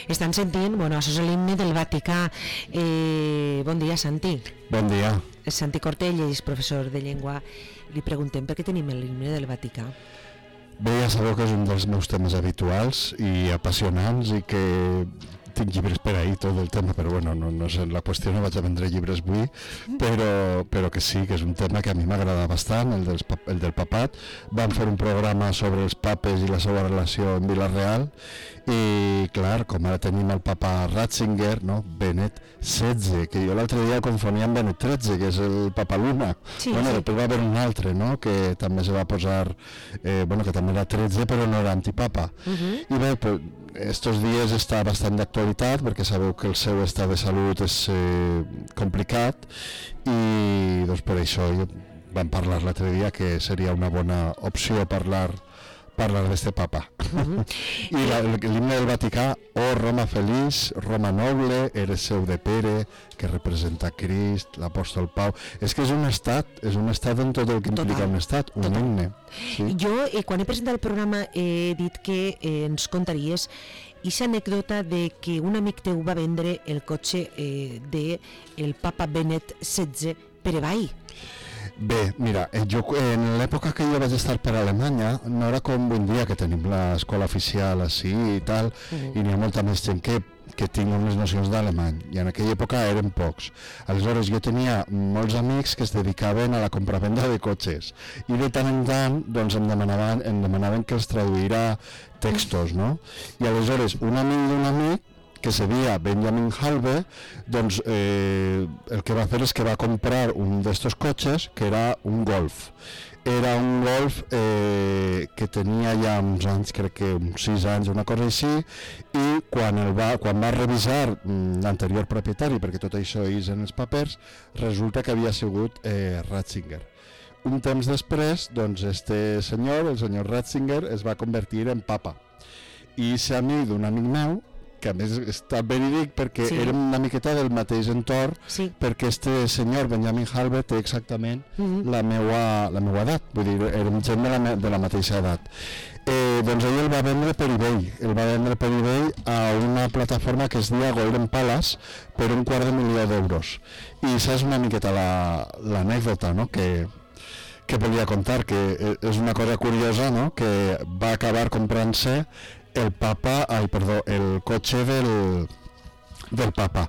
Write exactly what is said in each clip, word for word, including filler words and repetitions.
Estan sentint, bueno, això és l'himne del Vaticà. Eh, bon dia, Santi. Bon dia. Santi Cortelles, professor de llengua. Li preguntem per què tenim l'himne del Vaticà. Bé, ja sabeu que és un dels meus temes habituals i apassionants i que tinc llibres per ahir tot el tema, però bueno, no, no és la qüestió, no vaig a vendre llibres avui, però, però que sí, que és un tema que a mi m'agrada bastant, el, dels, el del papat. Vam fer un programa sobre els papes i la seva relació amb Vila-real i clar, com ara tenim el papa Ratzinger, no? Benet setze, que jo l'altre dia confonia amb Benet tretze, que és el papa Luna. Sí, bueno, sí. Després va haver un altre, no? Que també se va posar, eh, bueno, que també era tretze però no era antipapa. Uh-huh. I bé, pues, estos dies està bastant d'actualitat perquè sabeu que el seu estat de salut és eh, complicat i doncs per això jo vam parlar l'altre dia que seria una bona opció parlar parlar d'este papa. Uh-huh. I la, l'himne del Vaticà, oh Roma feliç, Roma noble, eres seu de Pere, que representa Crist, l'apòstol Pau. És que és un estat, és un estat en tot el que implica Total. un estat, un Total. himne. Sí. Jo, eh, quan he presentat el programa, he dit que eh, ens contaries aquesta anècdota de que un amic teu va vendre el cotxe eh, del papa Benet setze per eBay. Bé, mira, jo en l'època que jo vaig estar per Alemanya no era com avui dia que tenim l'escola oficial així i tal, uh-huh. i n'hi ha molta més gent que, que tinc unes nocions d'alemany, i en aquella època eren pocs. Aleshores jo tenia molts amics que es dedicaven a la compravenda de cotxes i de tant en tant doncs, em, demanaven, em demanaven que els traduïra textos, no? I aleshores un amic d'un amic que se deia Benjamin Halbe, doncs eh, el que va fer és que va comprar un d'estos cotxes que era un Golf. Era un Golf eh, que tenia ja uns anys, crec que uns sis anys, una cosa així, i quan, el va, quan va revisar mm, l'anterior propietari, perquè tot això és en els papers, resulta que havia sigut eh, Ratzinger. Un temps després, doncs, este senyor, el senyor Ratzinger, es va convertir en papa. I ser amic d'un amic meu, que a més està verídic perquè sí. érem una miqueta del mateix entorn, sí. perquè este senyor Benjamin Halbe té exactament uh-huh. la, meua, la meua edat, vull dir, érem gent de la, de la mateixa edat. Eh, doncs ell el va vendre per eBay, el va vendre per eBay a una plataforma que es deia Golden Palace per un quart de milió d'euros. I això és una miqueta la, l'anècdota, no?, que, que volia contar, que és una cosa curiosa, no?, que va acabar comprant-se el papa, ai, perdó, el cotxe del, del papa.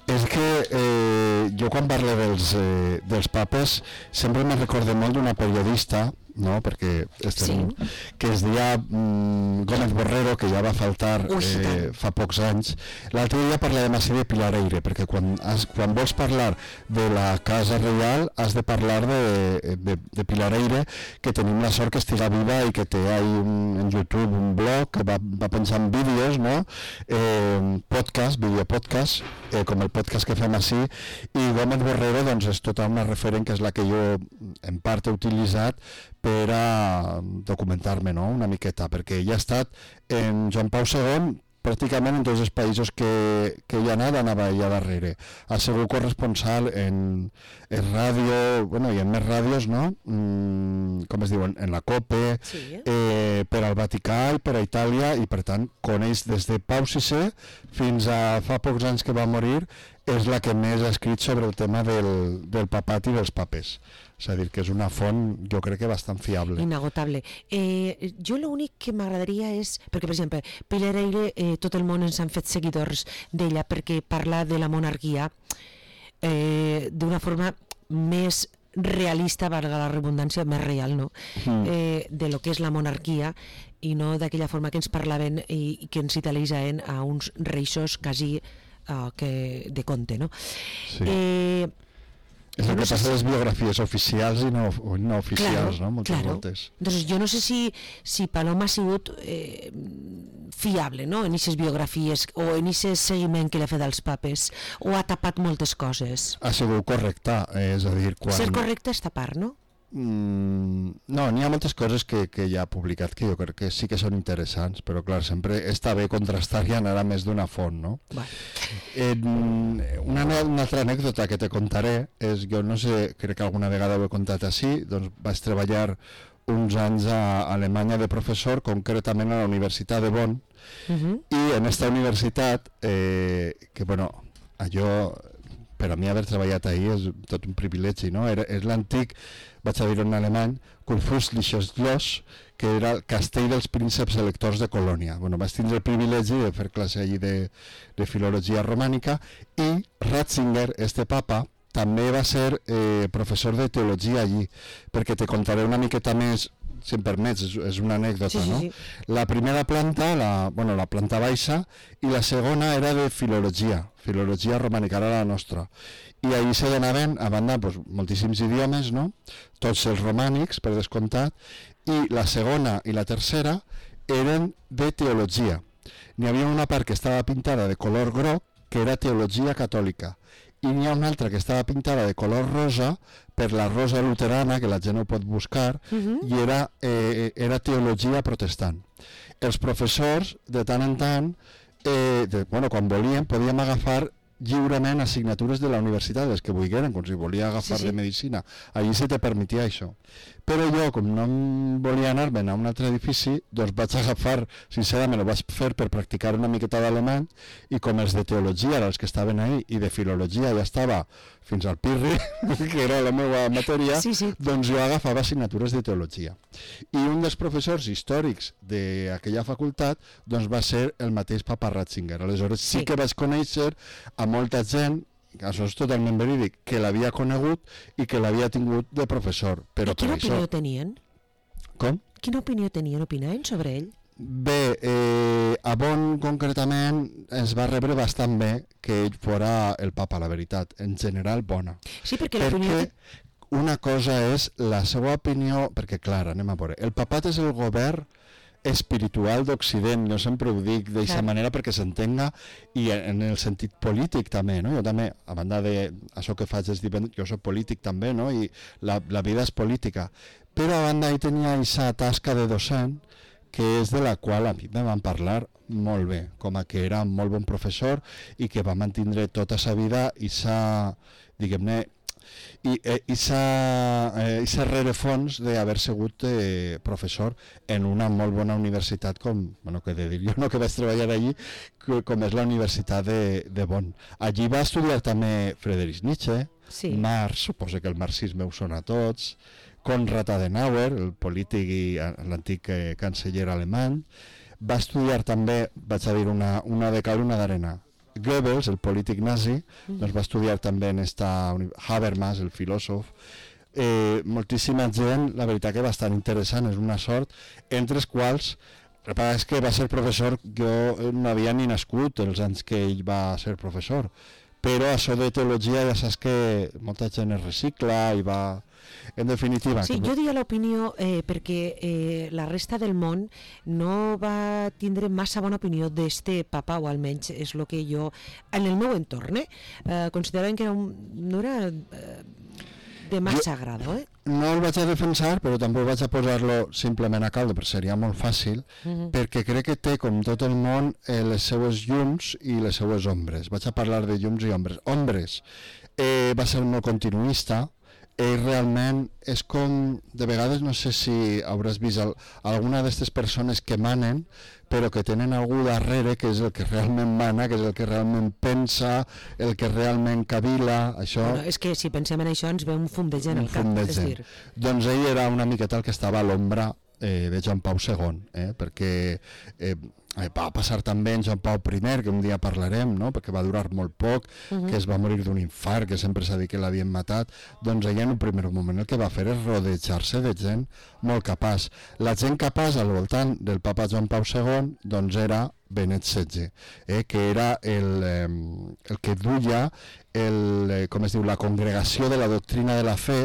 És que eh, jo quan parlo dels, eh, dels papes sempre me recorde molt d'una periodista, no? Perquè estem, sí. que es deia mm, Gómez Borrero, que ja va faltar eh, fa pocs anys. L'altre dia parlàvem així de Pilar Eire, perquè quan, has, quan vols parlar de la Casa Reial has de parlar de, de, de Pilar Eire, que tenim la sort que estiga viva i que té un, en YouTube un blog que va, va pensant vídeos, no? eh, podcast, videopodcast, eh, com el podcast que fem així, i Gómez Borrero doncs, és tota una referent que és la que jo en part he utilitzat per a documentar-me, no?, una miqueta, perquè ella ha estat en Joan Pau segon pràcticament en tots els països que, que hi ha anat, anava ella darrere. Ha sigut corresponsal en, en ràdio, bueno, i en més ràdios, no?, mm, com es diuen, en la COPE, sí. eh, per al Vaticà i per a Itàlia, i per tant coneix des de Pau sisè fins a fa pocs anys que va morir, és la que més ha escrit sobre el tema del, del papat i dels papes. És a dir, que és una font, jo crec que bastant fiable. Inagotable. Eh, jo l'únic que m'agradaria és, perquè per exemple, Pilar Eire, eh, tot el món ens han fet seguidors d'ella perquè parla de la monarquia eh, d'una forma més realista, valga la redundància, més real, no? Mm. Eh, de lo que és la monarquia i no d'aquella forma que ens parlaven i, i que ens idealitzaven a uns reixos quasi uh, que de conte, no? Sí. Eh, és el que passa a les biografies oficials i no, no oficials, claro, no? Moltes claro. voltes. Entonces, jo no sé si, si Paloma ha sigut eh, fiable, no?, en aquestes biografies o en aquest seguiment que li ha fet als papes, o ha tapat moltes coses. Ha sigut correcta, eh, és a dir... Quan... Ser correcte és tapar, no? Mm, no, n'hi ha moltes coses que, que ja ha publicat que jo crec que sí que són interessants, però clar, sempre està bé contrastar i anar a més d'una font, no? Bueno. En, una, una altra anècdota que te contaré és, jo no sé, crec que alguna vegada ho he contat així, doncs vaig treballar uns anys a Alemanya de professor, concretament a la Universitat de Bonn, uh-huh. i en aquesta universitat, eh, que bueno, allò, per a mi haver treballat ahir és tot un privilegi, no? Era, és l'antic, vaig a dir en alemany, Kurfürstliches Schloss, que era el castell dels prínceps electors de Colònia. Bueno, vaig tindre el privilegi de fer classe allí de, de filologia romànica, i Ratzinger, este papa, també va ser eh, professor de teologia allí, perquè te contaré una miqueta més, si em permets, és, és una anècdota, sí, sí, no? Sí. La primera planta, la, bueno, la planta baixa, i la segona era de filologia, filologia romànica, era la nostra. I allí se donaven, a banda, pues, moltíssims idiomes, no? Tots els romànics, per descomptat, i la segona i la tercera eren de teologia. N'hi havia una part que estava pintada de color groc, que era teologia catòlica, i n'hi ha una altra que estava pintada de color rosa, per la rosa luterana, que la gent ho pot buscar, uh-huh. i era, eh, era teologia protestant. Els professors, de tant en tant, eh, de, bueno, quan volien, podíem agafar lliurement assignatures de la universitat, les que volgueren, com si volia agafar sí, sí. de medicina. Allí se te permetia això. Però jo, com no em volia anar-me'n a un altre edifici, doncs vaig agafar, sincerament, ho vaig fer per practicar una miqueta d'alemany, i com els de teologia, els que estaven ahí, i de filologia ja estava fins al pirri, que era la meva matèria, sí, sí. doncs jo agafava assignatures de teologia. I un dels professors històrics d'aquella facultat doncs va ser el mateix papa Ratzinger. Aleshores sí, sí que vaig conèixer a molta gent, això és totalment verídic, que l'havia conegut i que l'havia tingut de professor. Però I quina per opinió això... tenien? Com? Quina opinió tenien? Opinaven sobre ell? Bé, eh, a Bonn concretament ens va rebre bastant bé que ell fora el papa, la veritat, en general bona. Sí, perquè perquè l'opinió... una cosa és la seva opinió, perquè clar, anem a veure, el papat és el govern espiritual d'Occident, jo sempre ho dic d'aquesta manera perquè s'entenga, i en el sentit polític també, no? Jo també, a banda de això que faig és divendres, jo soc polític també, no? I la, la vida és política, però a banda ell tenia aquesta tasca de docent, que és de la qual a mi me van parlar molt bé, com a que era un molt bon professor i que va mantindre tota sa vida i sa, diguem-ne, i sa eh, rerefons d'haver sigut eh, professor en una molt bona universitat com, bueno, que de dir jo, no, que vaig treballar allí, que, com és la Universitat de, de Bonn. Allí va estudiar també Friedrich Nietzsche, sí. Marx, suposo que el marxisme ho sona a tots, Konrad Adenauer, el polític i l'antic eh, canceller alemany. Va estudiar també, vaig a dir una, una de cal, una d'arena, Goebbels, el polític nazi, mm. doncs va estudiar també en esta Habermas, el filòsof. Eh, moltíssima gent, la veritat que bastant interessant, és una sort, entre els quals, el que és que va ser professor, jo no havia ni nascut els anys que ell va ser professor, però això de teologia ja saps que molta gent es recicla i va... En definitiva... Sí, jo diria l'opinió eh, perquè eh, la resta del món no va tindre massa bona opinió d'este papa, o almenys és el que jo, en el meu entorn, eh, eh, consideraven que era un, no era eh, de massa agrado. Eh? No el vaig a defensar, però tampoc vaig a posar-lo simplement a caldo, perquè seria molt fàcil, uh-huh. perquè crec que té, com tot el món, eh, les seues llums i les seues ombres. Vaig a parlar de llums i ombres. Ombres, eh, va ser molt continuista, ell realment és com, de vegades no sé si hauràs vist el, alguna d'aquestes persones que manen, però que tenen algú darrere que és el que realment mana, que és el que realment pensa, el que realment cavila, això... Bueno, és que si pensem en això ens ve un fum de gent al cap, és dir... Doncs ell era una miqueta el que estava a l'ombra eh, de Joan Pau segon, eh, perquè eh, va passar també en Joan Pau primer, que un dia parlarem, no? Perquè va durar molt poc, uh-huh. que es va morir d'un infart, que sempre s'ha dit que l'havien matat. Doncs ella en un primer moment el que va fer és rodejar-se de gent molt capaç. La gent capaç al voltant del papa Joan Pau segon doncs era Benet setze, eh, que era el, eh, el que duia el, eh, com es diu, la congregació de la doctrina de la fe,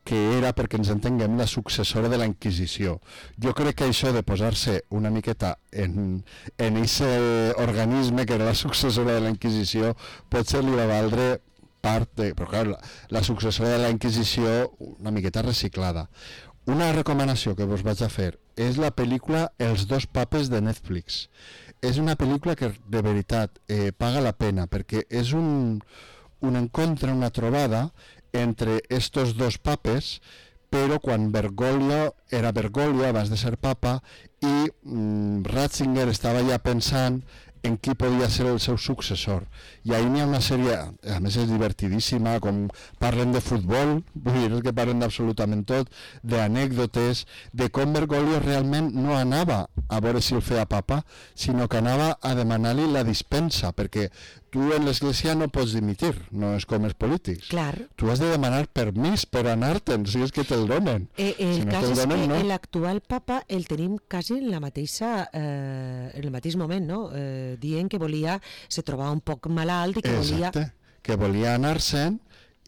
que era, perquè ens entenguem, la successora de la Inquisició. Jo crec que això de posar-se una miqueta en en aquest organisme que era la successora de la Inquisició potser li va valdre part de... Però clar, la, la successora de la Inquisició una miqueta reciclada. Una recomanació que vos vaig a fer és la pel·lícula Els dos papes de Netflix. És una pel·lícula que de veritat eh, paga la pena, perquè és un, un encontre, una trobada entre estos dos papes, però quan Bergoglio era Bergoglio abans de ser papa i mm, Ratzinger estava ja pensant en qui podia ser el seu successor. I ahir n'hi ha una sèrie, a més és divertidíssima, com parlen de futbol, vull dir que parlen d'absolutament tot, d'anècdotes, de com Bergoglio realment no anava a veure si el feia papa, sinó que anava a demanar-li la dispensa, perquè tu en l'església no pots dimitir, no és com els polítics. Clar. Tu has de demanar permís per anar-te'n, si és que te'l donen. Eh, el si no cas te'l és donen, que no. l'actual papa el tenim quasi en la mateixa, eh, en el mateix moment, no? Eh, dient que volia, se trobava un poc malalt i que volia... Exacte, que volia anar-se'n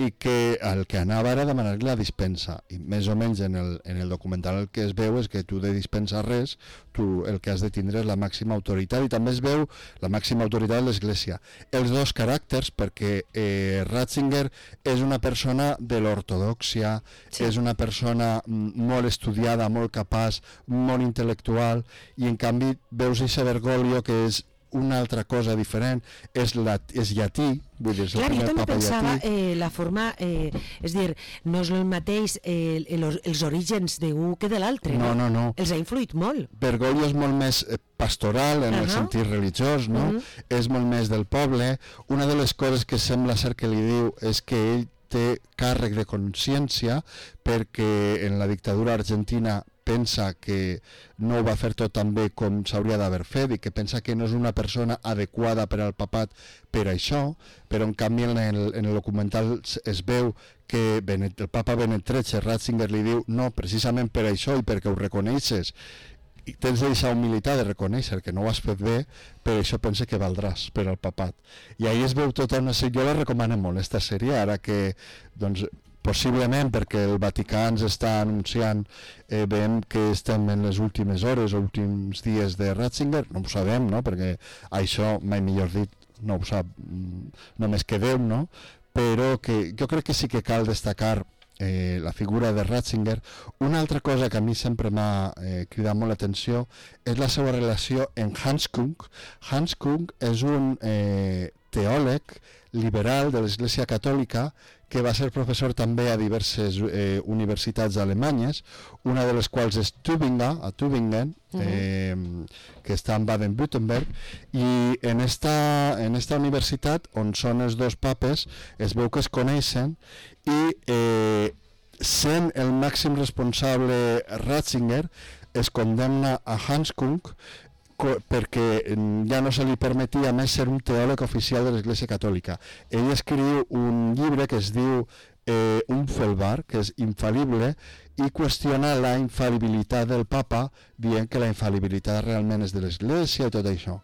i que el que anava era demanar-li la dispensa, i més o menys en el, en el documental el que es veu és que tu de dispensar res, tu el que has de tindre és la màxima autoritat, i també es veu la màxima autoritat de l'Església. Els dos caràcters, perquè eh, Ratzinger és una persona de l'ortodòxia, sí. És una persona molt estudiada, molt capaç, molt intel·lectual, i en canvi veus eixe Bergoglio que és una altra cosa diferent, és, la, és llatí, vull dir, és Clar, el jo primer també papa pensava llatí. eh, la forma, eh, és dir, no és el mateix eh, els, els orígens d'un que de l'altre, no? No, no, no. Els ha influït molt. Bergoglio és molt més pastoral en uh -huh. el sentit religiós, no? Uh -huh. És molt més del poble. Una de les coses que sembla ser que li diu és que ell té càrrec de consciència perquè en la dictadura argentina pensa que no ho va fer tot tan bé com s'hauria d'haver fet i que pensa que no és una persona adequada per al papat per això, però en canvi en el, en el documental es veu que Benet, el papa Benet tretze, Ratzinger li diu no, precisament per això i perquè ho reconeixes i tens d'aquesta humilitat de reconèixer que no ho has fet bé, per això pense que valdràs per al papat. I ahir es veu tota una sèrie, jo la recomano molt, esta sèrie, ara que doncs possiblement perquè el Vaticà ens està anunciant, eh, veiem que estem en les últimes hores o últims dies de Ratzinger, no ho sabem, no? Perquè això, mai millor dit, no ho sap només que Déu, no? Però que jo crec que sí que cal destacar eh, la figura de Ratzinger. Una altra cosa que a mi sempre m'ha eh, cridat molt l'atenció és la seva relació amb Hans Kung. Hans Kung és un eh, teòleg liberal de l'Església Catòlica que va ser professor també a diverses eh, universitats alemanyes, una de les quals és Tübingen, a Tübingen, eh, que està en Baden-Württemberg, i en esta, en esta universitat, on són els dos papes, es veu que es coneixen, i eh, sent el màxim responsable Ratzinger, es condemna a Hans Kung perquè ja no se li permetia més ser un teòleg oficial de l'Església Catòlica. Ell escriu un llibre que es diu eh, Unfehlbar, que és infal·lible, i qüestiona la infal·libilitat del papa, dient que la infal·libilitat realment és de l'Església i tot això.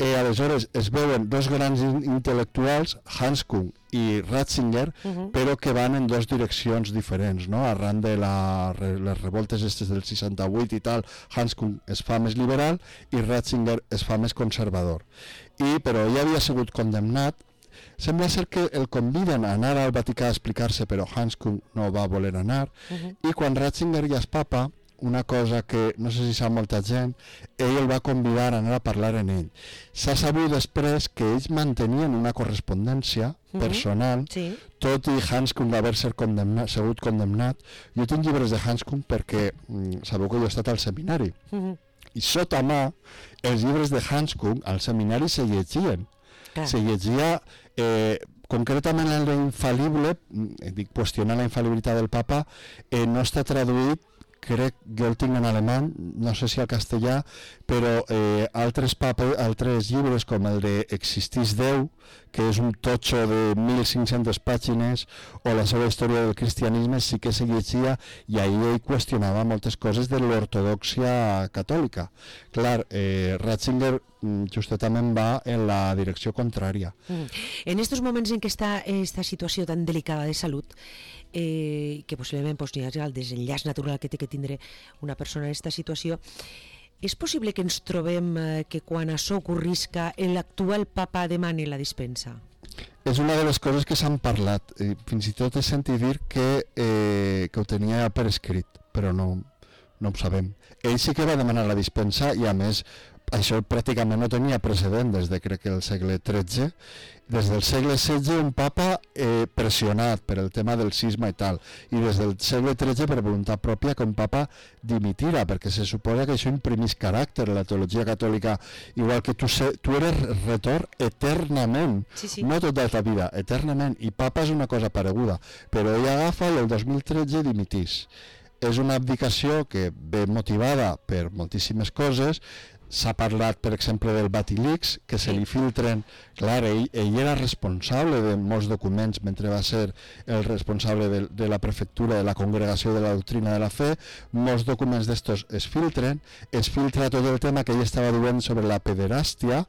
Eh, aleshores es veuen dos grans intel·lectuals, Hans Kung i Ratzinger, uh -huh. però que van en dues direccions diferents, no? Arran de la, les revoltes estes del seixanta-vuit i tal, Hans Kung es fa més liberal i Ratzinger es fa més conservador. I, però ell havia sigut condemnat. Sembla ser que el conviden a anar al Vaticà a explicar-se, però Hans Kung no va voler anar, uh -huh. i quan Ratzinger ja és papa, una cosa que no sé si sap molta gent, ell el va convidar a anar a parlar en ell. S'ha sabut després que ells mantenien una correspondència uh-huh. personal, sí. Tot i Hans Kung haver ser condemnat, sigut condemnat. Jo tinc llibres de Hans Kung perquè mm, sabeu que jo he estat al seminari. Uh-huh. I sota mà, els llibres de Hans Kung al seminari se llegien. Ah. Se llegia... Eh, concretament el d'infal·lible, dic, qüestionar la infal·libilitat del papa, eh, no està traduït, crec, jo el tinc en alemany, no sé si al castellà, però eh, altres, paper, altres llibres com el de Existís Déu, que és un totxo de mil cinc-centes pàgines, o la seva història del cristianisme, sí que se llegia, i ahir ell qüestionava moltes coses de l'ortodòxia catòlica. Clar, eh, Ratzinger justament va en la direcció contrària. Mm. En estos moments en què està esta situació tan delicada de salut, eh, que possiblement pues, hi ha el desenllaç natural que té que tindre una persona en aquesta situació, és possible que ens trobem eh, que quan això ocorrisca l'actual papa demani la dispensa? És una de les coses que s'han parlat. Eh, fins i tot he sentit dir que, eh, que ho tenia per escrit, però no, no ho sabem. Ell sí que va demanar la dispensa i a més això pràcticament no tenia precedent des de, crec que el segle tretze, des del segle setze un papa eh, pressionat per el tema del cisma i tal, i des del segle tretze per voluntat pròpia que un papa dimitira, perquè se suposa que això imprimís caràcter a la teologia catòlica, igual que tu, se, tu eres retor eternament, sí, sí. no tota la vida, eternament, i papa és una cosa pareguda, però ell agafa i el dos mil tretze dimitís. És una abdicació que ve motivada per moltíssimes coses. S'ha parlat, per exemple, del Vatilix, que se li filtren... Clar, ell, ell era responsable de molts documents mentre va ser el responsable de, de la prefectura de la Congregació de la Doctrina de la Fe. Molts documents d'estos es filtren. Es filtra tot el tema que ell estava duent sobre la pederàstia,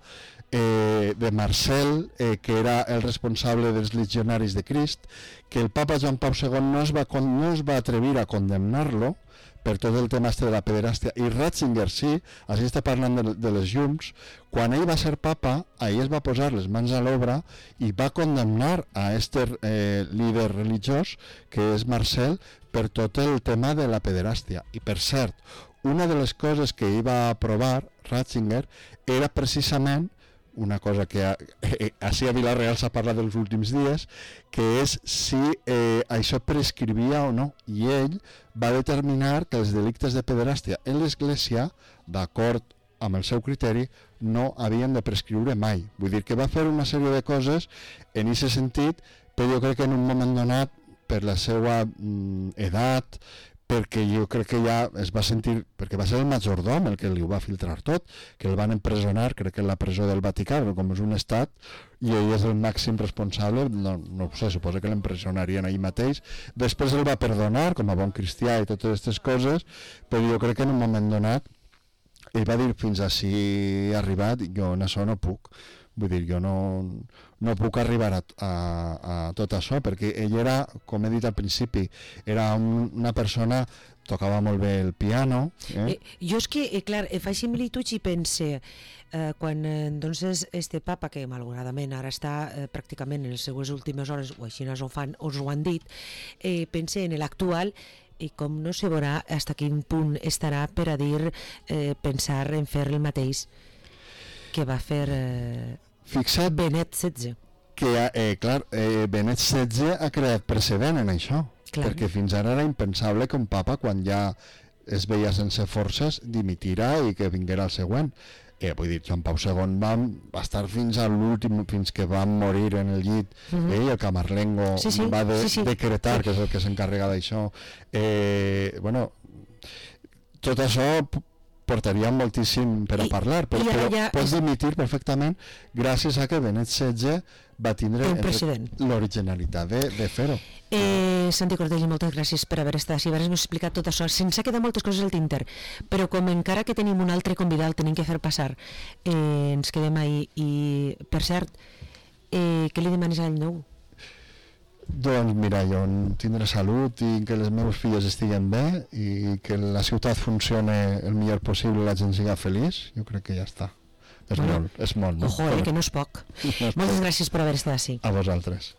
eh, de Marcel, eh, que era el responsable dels legionaris de Crist, que el papa Joan Pau segon no es va, no es va atrevir a condemnar-lo per tot el tema este de la pederàstia, i Ratzinger sí, així està parlant de, de les llums. Quan ell va ser papa, ahir es va posar les mans a l'obra i va condemnar a este eh, líder religiós, que és Marcel, per tot el tema de la pederàstia. I per cert, una de les coses que ell va aprovar, Ratzinger, era precisament una cosa que a, eh, així a Vila-real s'ha parlat dels últims dies, que és si eh, això prescrivia o no, i ell va determinar que els delictes de pederàstia en l'Església, d'acord amb el seu criteri, no havien de prescriure mai. Vull dir que va fer una sèrie de coses en aquest sentit, però jo crec que en un moment donat, per la seva mm, edat, perquè jo crec que ja es va sentir, perquè va ser el majordom el que li ho va filtrar tot, que el van empresonar, crec que en la presó del Vaticà, com és un estat, i ell és el màxim responsable, no, no ho sé, suposa que l'empresonarien ahir mateix. Després el va perdonar, com a bon cristià i totes aquestes coses, però jo crec que en un moment donat ell va dir fins ací he arribat, jo en això no puc. Vull dir, jo no, no puc arribar a, a, a tot això, perquè ell era, com he dit al principi, era un, una persona, tocava molt bé el piano. Eh? Eh, jo és que, eh, clar, eh, faig similituds i pense, eh, quan eh, doncs este papa, que malauradament ara està eh, pràcticament en les seues últimes hores, o així us ho, fan, us ho han dit, eh, pense en l'actual, i com no se veurà fins a quin punt estarà per a dir, eh, pensar en fer el mateix que va fer eh, Fixa't, Benet setze. Que, eh, clar, eh, Benet setze ha creat precedent en això, clar. Perquè fins ara era impensable que un papa, quan ja es veia sense forces, dimitira i que vinguera el següent. Eh, vull dir, Joan Pau segon va, va estar fins a l'últim, fins que va morir en el llit, uh-huh. eh, i el Camarlengo sí, sí, va de, sí, sí. decretar, que és el que s'encarrega d'això. Eh, bueno, tot això portaria moltíssim per a I, parlar, però, però ja pots dimitir perfectament gràcies a que Benet setze va tindre l'originalitat de, de fer-ho. Eh, Santi Cortell, moltes gràcies per haver estat així, haver-nos explicat tot això. Se'ns ha quedat moltes coses al tinter, però com encara que tenim un altre convidat, el tenim que fer passar, eh, ens quedem ahí. I, per cert, eh, què li demanes a l'any nou? Doncs mira, jo tindré salut i que les meves filles estiguen bé i que la ciutat funcione el millor possible i la gent siga feliç. Jo crec que ja està. És bueno, molt, és molt. No? Ojo, eh, que no és poc. No és Moltes poc. Gràcies per haver estat així. A vosaltres.